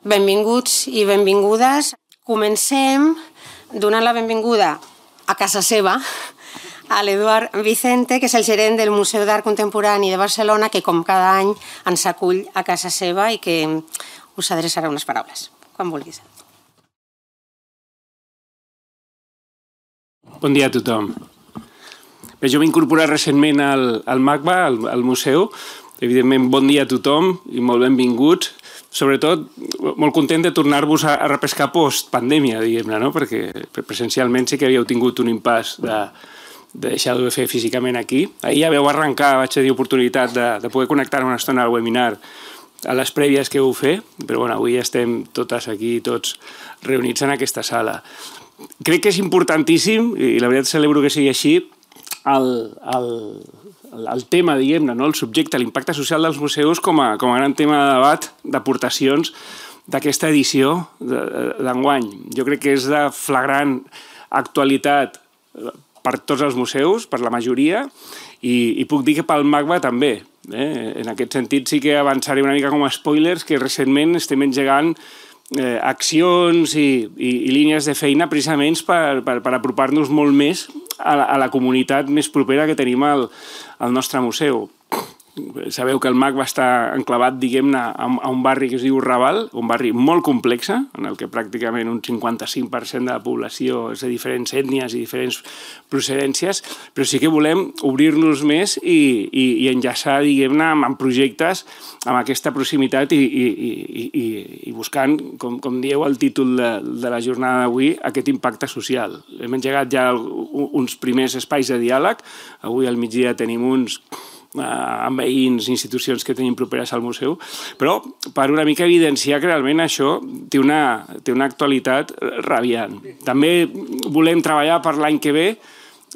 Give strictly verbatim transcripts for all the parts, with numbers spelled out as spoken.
Benvinguts i benvingudes. Comencem donant la benvinguda a casa seva a l'Eduard Vicente, que és el gerent del Museu d'Art Contemporani de Barcelona, que com cada any ens acull a casa seva i que us adreçarà unes paraules, quan vulguis. Bon dia a tothom. Bé, jo m'he incorporat recentment al, al MACBA, al, al museu. Evidentment, bon dia a tothom i molt benvinguts. Sobretot, molt content de tornar-vos a, a repescar post-pandèmia, diguem-ne, no? Perquè presencialment sí que havíeu tingut un impàs de, de deixar-ho de fer físicament aquí. Ahir ja veu arrencar, vaig tenir oportunitat de, de poder connectar una estona al webinar a les prèvies que heu fet, però bueno, avui estem totes aquí, tots reunits en aquesta sala. Crec que és importantíssim, i la veritat celebro que sigui així, el, el, el tema, diguem-ne, no? El subjecte, l'impacte social dels museus com a, com a gran tema de debat, d'aportacions d'aquesta edició d'enguany. Jo crec que és de flagrant actualitat per tots els museus, per la majoria, i, i puc dir que pel MACBA també. Eh? En aquest sentit sí que avançaré una mica com a spoilers, que recentment estem engegant Eh, accions i, i, i línies de feina precisament per, per, per apropar-nos molt més a la, a la comunitat més propera que tenim al, al nostre museu. Sabeu que el MACBA està enclavat, diguem-ne, a, a un barri que es diu Raval, un barri molt complex, en el que pràcticament un cinquanta-cinc per cent de la població és de diferents ètnies i diferents procedències, però sí que volem obrir-nos més i, i, i enllaçar, diguem-ne, amb projectes amb aquesta proximitat i, i, i, i, i buscant, com, com dieu el títol de, de la jornada d'avui, aquest impacte social. Hem engegat ja uns primers espais de diàleg, avui al migdia tenim uns amb veïns, institucions que tenim properes al museu, però per una mica evidenciar que realment això té una, té una actualitat radiant. També volem treballar per l'any que ve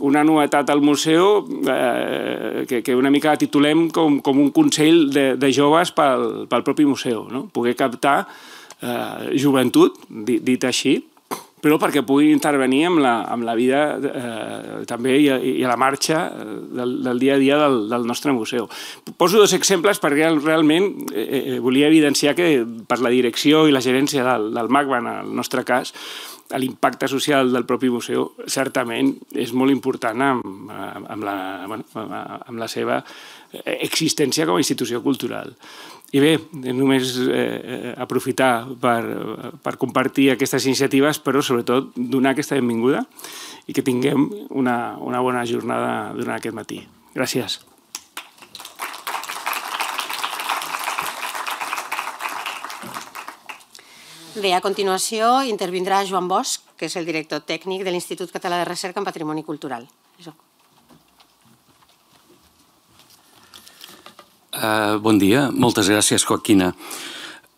una novetat al museu eh, que, que una mica titulem com, com un consell de, de joves pel, pel propi museu, no? Poder captar eh, joventut, dit, dit així, però perquè puguin intervenir amb la, amb la vida eh, també i a, i a la marxa del, del dia a dia del, del nostre museu. Poso dos exemples perquè realment eh, volia evidenciar que per la direcció i la gerència del, del MACBA, en el nostre cas, l'impacte social del propi museu certament és molt important amb, amb, la, bueno, amb la seva existència com a institució cultural. I bé, només eh, aprofitar per, per compartir aquestes iniciatives, però sobretot donar aquesta benvinguda i que tinguem una, una bona jornada durant aquest matí. Gràcies. Bé, a continuació intervindrà Joan Bosch, que és el director tècnic de l'Institut Català de Recerca en Patrimoni Cultural. Això. Uh, bon dia, moltes gràcies, Joaquina.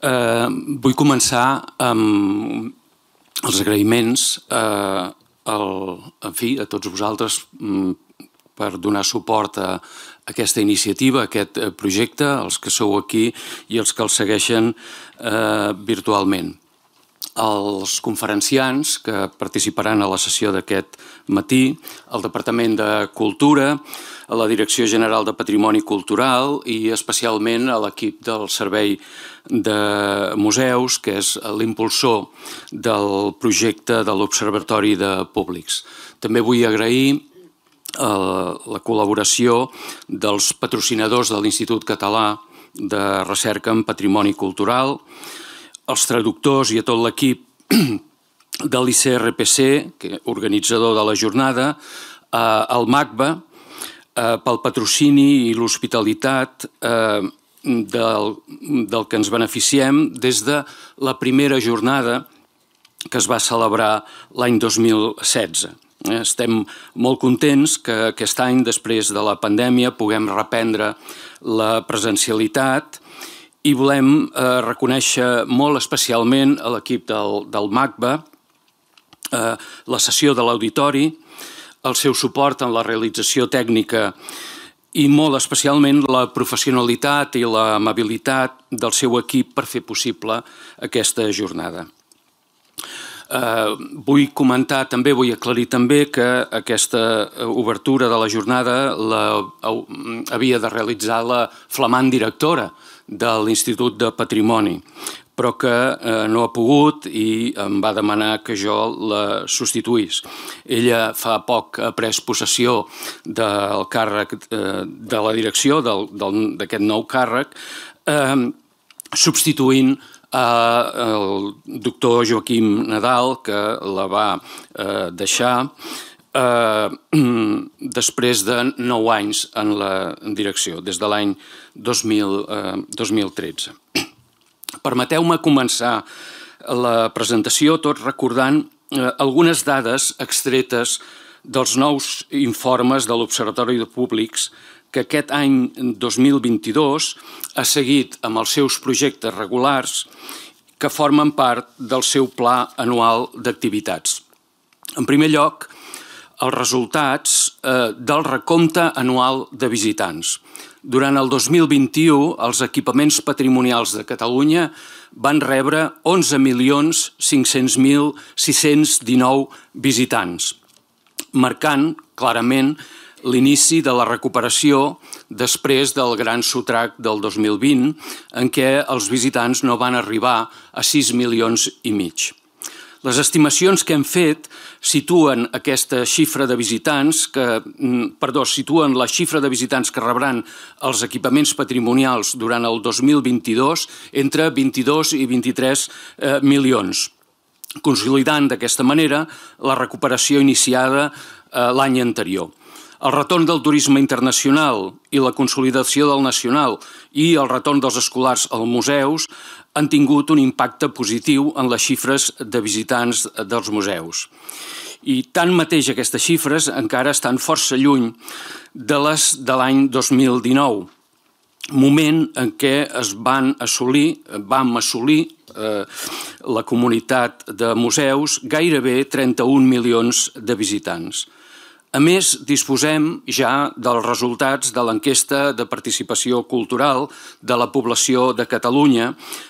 Uh, vull començar amb els agraïments uh, al, en fi, a tots vosaltres um, per donar suport a aquesta iniciativa, a aquest projecte, els que sou aquí i els que el segueixen uh, virtualment. Els conferenciants que participaran a la sessió d'aquest matí, el Departament de Cultura, a la Direcció General de Patrimoni Cultural i especialment a l'equip del Servei de Museus, que és l'impulsor del projecte de l'Observatori de Públics. També vull agrair la col·laboració dels patrocinadors de l'Institut Català de Recerca en Patrimoni Cultural, els traductors i a tot l'equip de l'I C R P C, organitzador de la jornada, al MACBA, pel patrocini i l'hospitalitat del, del que ens beneficiem des de la primera jornada que es va celebrar l'any dos mil setze. Estem molt contents que aquest any, després de la pandèmia, puguem reprendre la presencialitat i volem eh, reconèixer molt especialment a l'equip del, del MACBA eh, la sessió de l'auditori, el seu suport en la realització tècnica i molt especialment la professionalitat i l'amabilitat del seu equip per fer possible aquesta jornada. Uh, vull comentar també, vull aclarir també que aquesta obertura de la jornada la, uh, havia de realitzar la flamant directora de l'Institut de Patrimoni, però que eh, no ha pogut i em va demanar que jo la substituís. Ella fa poc ha pres possessió del càrrec eh, de la direcció d'aquest nou càrrec, eh, substituint el doctor Joaquim Nadal, que la va eh, deixar eh, després de nou anys en la direcció, des de l'any dos mil tretze. Permeteu-me començar la presentació tot recordant eh, algunes dades extretes dels nous informes de l'Observatori de Públics que aquest any dos mil vint-i-dos ha seguit amb els seus projectes regulars que formen part del seu pla anual d'activitats. En primer lloc, els resultats eh, del recompte anual de visitants. Durant el dos mil vint-i-u, els equipaments patrimonials de Catalunya van rebre onze milions cinc-cents mil sis-cents dinou visitants, marcant clarament l'inici de la recuperació després del gran sotrac del dos mil vint, en què els visitants no van arribar a sis milions i mig. Les estimacions que hem fet situen aquesta xifra de visitants, que, perdó, situen la xifra de visitants que rebran els equipaments patrimonials durant el dos mil vint-i-dos entre vint-i-dos i vint-i-tres eh, milions, consolidant d'aquesta manera la recuperació iniciada eh, l'any anterior. El retorn del turisme internacional i la consolidació del nacional i el retorn dels escolars als museus han tingut un impacte positiu en les xifres de visitants dels museus. I tanmateix aquestes xifres encara estan força lluny de les de l'any dos mil dinou, moment en què es van assolir, vam assolir eh, la comunitat de museus gairebé trenta-un milions de visitants. A més, disposem ja dels resultats de l'enquesta de participació cultural de la població de Catalunya,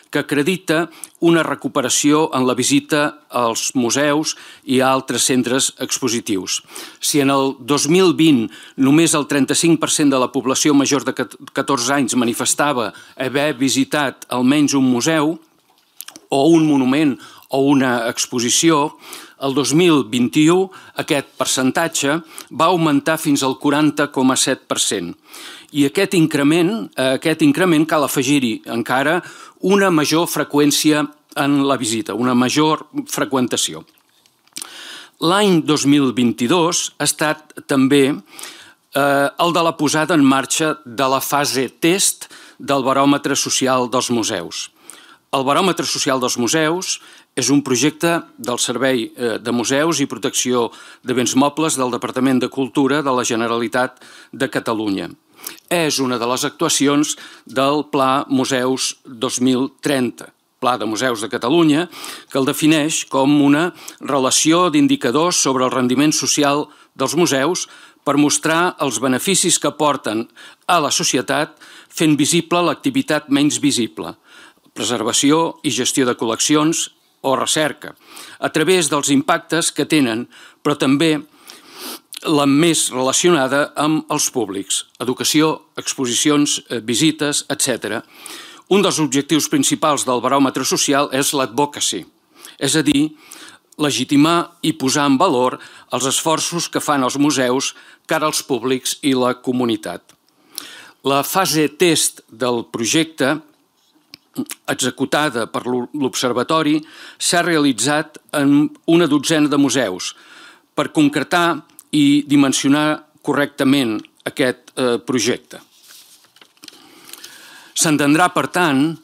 que acredita una recuperació en la visita als museus i a altres centres expositius. Si en el dos mil vint només el trenta-cinc per cent de la població major de catorze anys manifestava haver visitat almenys un museu o un monument o una exposició, el dos mil vint-i-u aquest percentatge va augmentar fins al quaranta coma set per cent. I aquest increment, a aquest increment cal afegir-hi encara una major freqüència en la visita, una major freqüentació. L'any dos mil vint-i-dos ha estat també eh, el de la posada en marxa de la fase test del baròmetre social dels museus. El baròmetre social dels museus és un projecte del Servei de Museus i Protecció de Béns Mobles del Departament de Cultura de la Generalitat de Catalunya. És una de les actuacions del Pla Museus dos mil trenta, Pla de Museus de Catalunya, que el defineix com una relació d'indicadors sobre el rendiment social dels museus per mostrar els beneficis que aporten a la societat fent visible l'activitat menys visible, preservació i gestió de col·leccions o recerca, a través dels impactes que tenen, però també la més relacionada amb els públics, educació, exposicions, visites, etcètera. Un dels objectius principals del baròmetre social és l'advocacy, és a dir, legitimar i posar en valor els esforços que fan els museus cara als públics i la comunitat. La fase test del projecte executada per l'Observatori s'ha realitzat en una dotzena de museus per concretar i dimensionar correctament aquest eh, projecte. S'entendrà, per tant,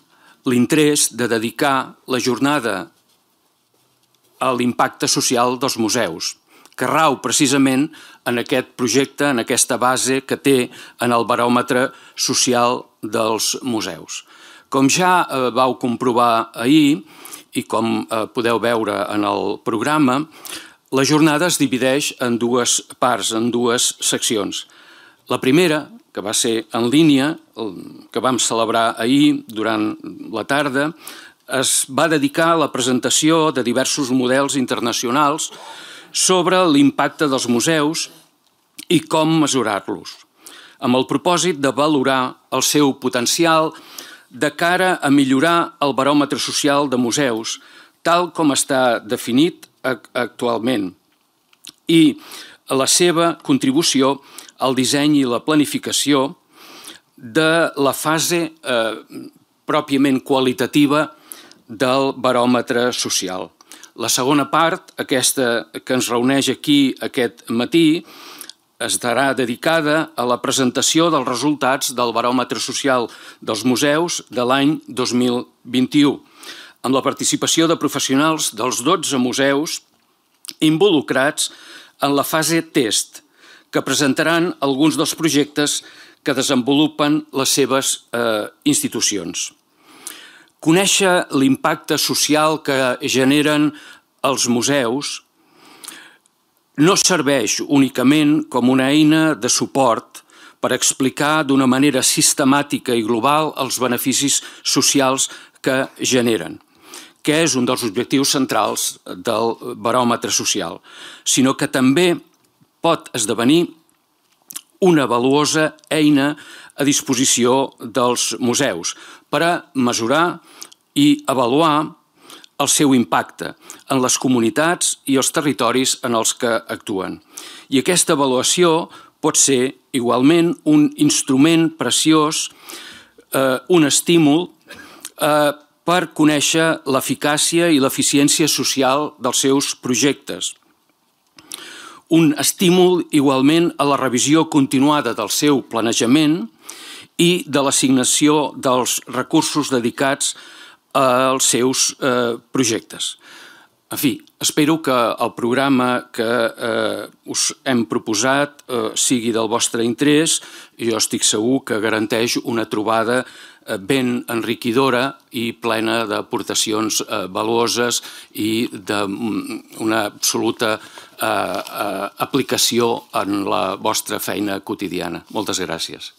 l'interès de dedicar la jornada a l'impacte social dels museus, que rau precisament en aquest projecte, en aquesta base que té en el baròmetre social dels museus. Com ja vau comprovar ahir i com podeu veure en el programa, la jornada es divideix en dues parts, en dues seccions. La primera, que va ser en línia, que vam celebrar ahir durant la tarda, es va dedicar a la presentació de diversos models internacionals sobre l'impacte dels museus i com mesurar-los, amb el propòsit de valorar el seu potencial de cara a millorar el baròmetre social de museus, tal com està definit actualment, i la seva contribució al disseny i la planificació de la fase eh, pròpiament qualitativa del baròmetre social. La segona part, aquesta que ens reuneix aquí aquest matí, estarà dedicada a la presentació dels resultats del baròmetre social dels museus de l'any dos mil vint-i-u, amb la participació de professionals dels dotze museus involucrats en la fase test, que presentaran alguns dels projectes que desenvolupen les seves eh, institucions. Conèixer l'impacte social que generen els museus no serveix únicament com una eina de suport per explicar d'una manera sistemàtica i global els beneficis socials que generen, que és un dels objectius centrals del baròmetre social, sinó que també pot esdevenir una valuosa eina a disposició dels museus per a mesurar i avaluar el seu impacte en les comunitats i els territoris en els que actuen. I aquesta avaluació pot ser igualment un instrument preciós, eh, un estímul eh, per conèixer l'eficàcia i l'eficiència social dels seus projectes. Un estímul igualment a la revisió continuada del seu planejament i de l'assignació dels recursos dedicats als seus eh, projectes. En fi, espero que el programa que eh, us hem proposat eh, sigui del vostre interès i jo estic segur que garanteix una trobada eh, ben enriquidora i plena d'aportacions eh, valuoses i d'una absoluta eh, eh, aplicació en la vostra feina quotidiana. Moltes gràcies.